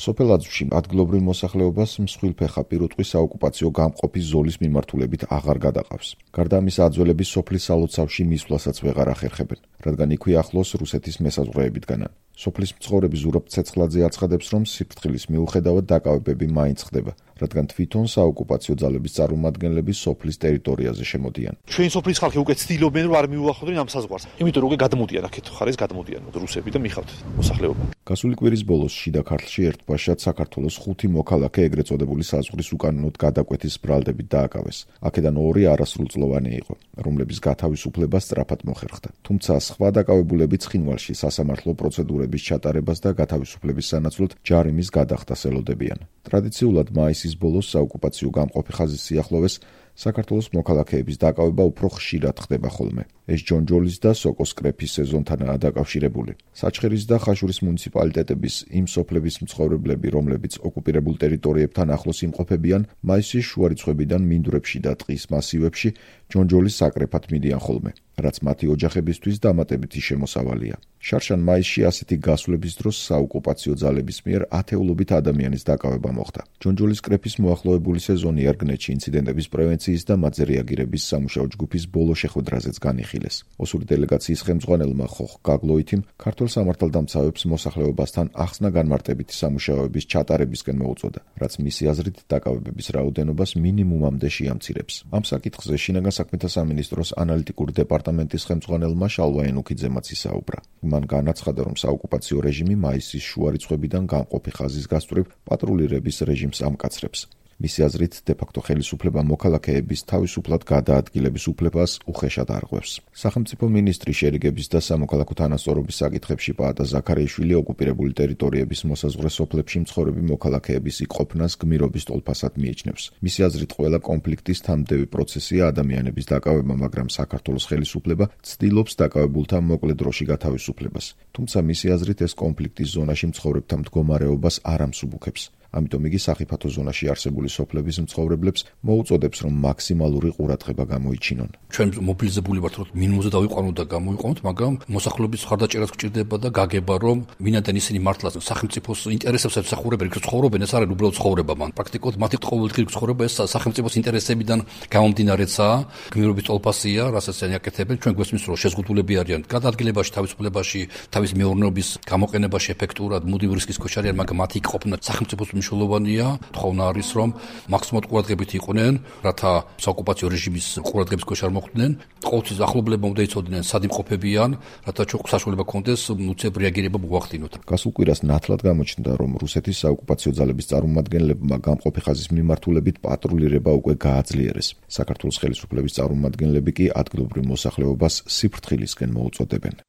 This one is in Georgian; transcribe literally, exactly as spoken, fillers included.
სოფელ აძვში ადგილობრივ მოსახლეობას მსხვილფეხა პირუტყვის საოკუპაციო გამყოფი ზოლის მიმართულებით აღარ გადაყავს. გარდა ამისა, აძველები სოფლის სალოცავში მისვლასაც ვეღარ ახერხებენ, რადგან იქვე ახლოს რუსეთის მესაზღვრეებითგანან. სოფლის მცხოვრები ზურაბ ცეცხლაძე აცხადებს, რომ სიფრთხილის მიუხედავად დაკავებები მაინც ხდება, რადგან თვითონ საოკუპაციო ძალების წარმომადგენლები სოფლის ტერიტორიაზე შემოდიან. Ჩვენ სოფლის ხალხი უკვე ცდილობენ, რომ არ მიუახლოვდნენ ამ საზღვარს. იმიტომ რომ უკვე გადმოდიან აქეთ ხარეს გადმოდიან რუსები და მიხავთ მოსახლეობა. გასული კვირის ბოლოს შიდა ქართლში ერთბაშად საქართველოს ხუთი მოქალაქე ეგრეთ წოდებული საზღვრის უკანონოდ გადაკვეთის ბრალდებით დააკავეს. აქედან ორი არასრულწლოვანი იყო, რომლების გათავისუფლება სწრაფად მოხერხდა. თუმცა სხვა დაკავებულები ცხინვალში სასამართლო პროცედურების ჩატარებას და გათავისუფლების სანაცვლოდ ჯარიმის გადახდას ელოდებიან. ტრადიციულად მაისის ბოლოს საოკუპაციო გამყოფი ხაზის სიახლოვეს საქართველოს მოქალაქეების დაკავება უფრო ხშირად ხდება ხოლმე. ეს ჯონჯოლის და სოკოს კრეფის სეზონთანაა დაკავშირებული. საჩხერის და ხაშურის მუნიციპალიტეტების იმ სოფლების მცხოვრებლები, რომლებიც ოკუპირებულ ტერიტორიებთან ახლოს იმყოფებიან, მაისის შუა რიცხვებიდან მინდვრებში და ტყის მასივებში ჯონჯოლის საკრეფად მიდიან ხოლმე, რაც მათი ოჯახებისთვის დამატებითი შემოსავალია. შარშან მაისში ასეთი გასვლების დროს საოკუპაციო ძალების მიერ ათეულობით ადამიანის დაკავება მოხდა. ჯონჯოლის კრეფის მოახლოებული სეზონი ერგნეთში ინციდენტების პრევენციის და მათზე რეაგირების სამუშაო ჯგუფის ბოლო შეხვედრაზეც განიხილეს. ოსური დელეგაციის ხელმძღვანელმა ხოხ გაგლოითიმ ქართულ სამართალდამცავებს მოსახლეობასთან ახსნა განმარტებითი სამუშაოების ჩატარებისკენ მოუწოდა, რაც მისი აზრით დაკავებების რაოდენობას მინიმუმამდე შეამცირებს. ამ საკითხზე შინაგან საქმეთა სამინისტროს ანალიტიკური დეპარტამენტის ხელმძღვანელმა შალვა ენუქიძემაც ისაუბრა. მან განაცხადა, რომ საოკუპაციო რეჟიმი მაისის შუა რიცხვებიდან გამყოფი ხაზის გასწვრივ პატრულირების რეჟიმს ამკაცრებს. მისი აზრით, დე-ფაქტო ხელისუფლება მოქალაქეების თავისუფლად გადაადგილების უფლებას უხეშად არღვევს. სახელმწიფო მინისტრი შერიგების და სამოქალაქო თანასწორობის საკითხებში პაატა ზაქარიაშვილი ოკუპირებული ტერიტორიების მოსაზღვრე სოფლებში მცხოვრები მოქალაქეების იქ-ყოფნას გმირობის ტოლფასად მიიჩნევს. მისი აზრით, ყველა კონფლიქტის თანმდევი პროცესია ადამიანების დაკავება, მაგრამ საქართველოს ხელისუფლება ცდილობს დაკავებულთა მოკლე დროში გათავისუფლებას. თუმცა მისი აზრით, ეს კონფლიქტის ზონაში მცხოვრებთა მდგომარეობას არ ამსუბუქებს. ამიტომ იგი სახიფათო ზონაში არსებული სოფლების მცხოვრებლებს მოუწოდებს, რომ მაქსიმალური ყურადღება გამოიჩინონ. ჩვენ მობილიზებული ვართ, რომ მინიმუმზე დავიყვანოთ და გამოვიყვანოთ, მაგრამ მოსახლეობის ხარდაჭერაც გჭირდება და გაგება, რომ ვინაიდან ისინი მართლაც სახელმწიფოს ინტერესებს ემსახურებენ, იქ ცხოვრობენ, ეს არის უბრალოდ ცხოვრება მან. პრაქტიკულად მათი ყოველდღიური ცხოვრება ეს სახელმწიფოს ინტერესებიდან გამომდინარეცაა, გმირობის ტოლფასია, რასაც ისინი აკეთებენ. ჩვენ გვესმის, რომ შეზღუდულები არიან გადაადგილებაში, თავისუფლებაში, თავის მეურნეობის გამოყენებაში ეფექტურად, მუდმივ რისკის ქვეშ არიან, მაგრამ მათი იქ-ყოფნა სახელმწიფოს მნიშვნელოვანია. თხოვნა არის, რომ მაქსიმალურად ყურადღებით იყვნენ, რათა საოკუპაციო რეჟიმის ყურადღების ქვეშ არ მოხვდნენ. ყოველთვის ახლობლებმა უნდა იცოდნენ, სად იმყოფებიან, რათა ჩვენ საშუალება გქონდეს უცებ რეაგირება მოახდინოთ. გასულ კვირას ნათლად გამოჩნდა, რომ რუსეთის საოკუპაციო ძალების წარმომადგენლებმა გამყოფი ხაზის მიმართულებით პატრულირება უკვე გააძლიერეს. საქართველოს ხელისუფლების წარმომადგენლები კი ადგილობრივ მოსახლეობას სიფრთხილისკენ მოუწოდებენ.